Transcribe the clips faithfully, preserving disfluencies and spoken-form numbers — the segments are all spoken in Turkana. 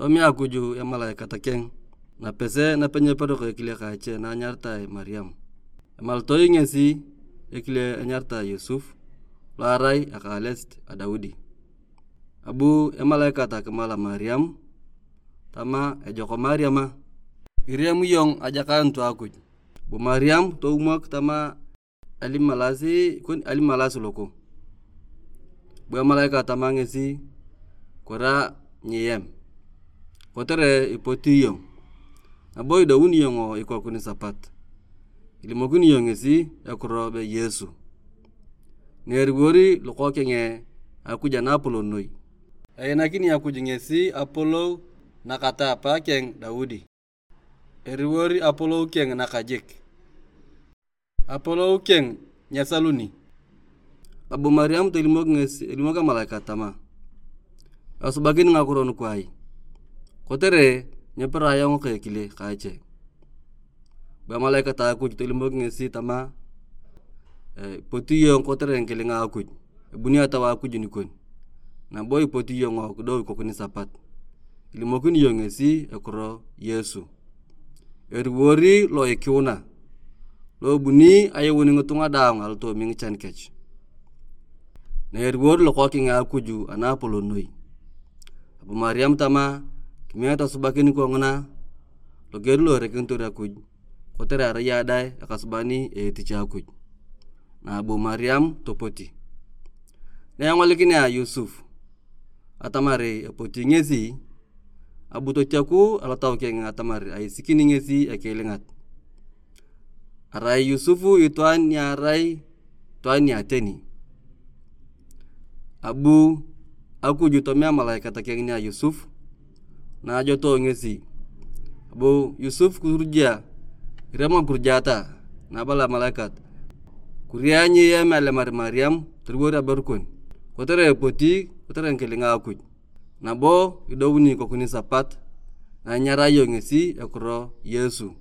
Tomea Akuj emalaikat keng napese nape nyeperoko ekile ka ache na anyaritae Mariam. Emaltoi ngesi ekile anyaritae Yosuf, lo arai eka ales a Daudi. Abu emalaikat akimal Mariam tama, "Ejok Mariam, iriam iyong ajakaanut a Akuj." Bu Mariam toumok tama, "Alimalas, ikon alimalas loko." Bu emalaikat tama ngesi, "Kura nyiem, kotere ipoti iyong, nabo idouni iyong ikoku nisapat." Ilimokini iyong ngesi ekiro be Yesu, na eriwori Lokookeng a Akuj anapolon noi. Einakini Akuj ngesi apolou nakata apa keng Daudi. Eriwor apolou keng nakajik. Apolou keng nyesaluni. Abu Mariam tolimok ngesi, elimok emalaikat tama, "Esubakini ngakiro nuku ai? Kotere nyepira ayong ka ekile ka ache." Bu emalaikat a Akuj tolimok ngesi tama, "Ipoti iyong kotere ngikilinga a Akuj. Ebuni Etau a Akuj nikon, nabo ipoti iyong kidou ikoku nisapat." Ilimokini iyong ngesi ekiro Yesu, eriwor lo ikiuna, lo ebuni ayuun ngitunga daang alotoomi ngichan kech. Na eriwor Lokookeng a Akuj anapolon noi, abu Mariam tama, "Kimiet asubakin kongina loger lo erekinitor Akuj, kotere arai ayong dang ekasuban a etich a Akuj." Na abu Mariam topoti. Na engolikinea Yosuf atamar epoti ngesi, abu totiaku alotau keng atamar aisikini ngesi ekiilingat. Arai Yosuf itwaan ni arai itwaan ni ateni. Abu Akuj tomea emalaikat keng nia Yosuf, na ajoto ngesi. Abu Yosuf kuruja, irem akirujaata, na abala emalaikat, "Kuria nyiem alemar Mariam toliwor aberu kon, kotere epoti kotere ngikilinga a Akuj. Nabo idouni ikoku nisapat, na inyarae iyong ngesi ekiro Yesu,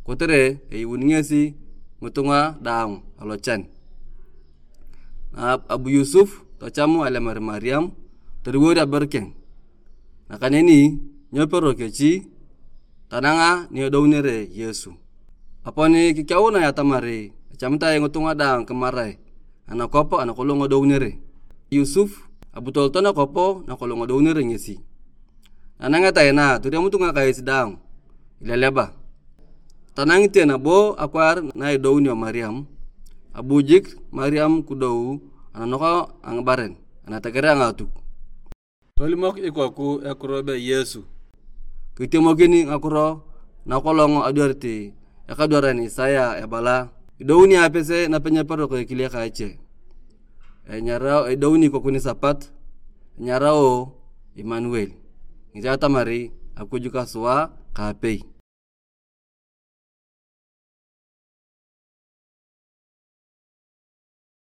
kotere eyuuni ngesi ngitunga daang alochan." Na abu Yosuf tocham alemar Mariam toliwor aberu keng. Nakaneni nyopero kechi tananga ni edounere Yesu. Aponi kikeunae atamar echamitae ngitunga daang kimarae anakwap anakolong edounere. Yosuf abu tolot nakwap nakolong edounere ngesi. Nanangeta ina, toriamut ngakais daang ileleba. Tanangite nabo akwaar na idounio Mariam, abu jik Mariam kidou ananok a ngibaren anateger a ngaatuk. Tolimok ikoku ekiro be Yesu. Kitemokin ngakiro nakolong adwarit ekadwaran Isaya ebala, "Idouni apese nape nyeperoko ekile ka ache. Enyarao, edouni ikoku nisapat, enyarao Imanuel, ngesi atamar Akuj ka sua ka apei."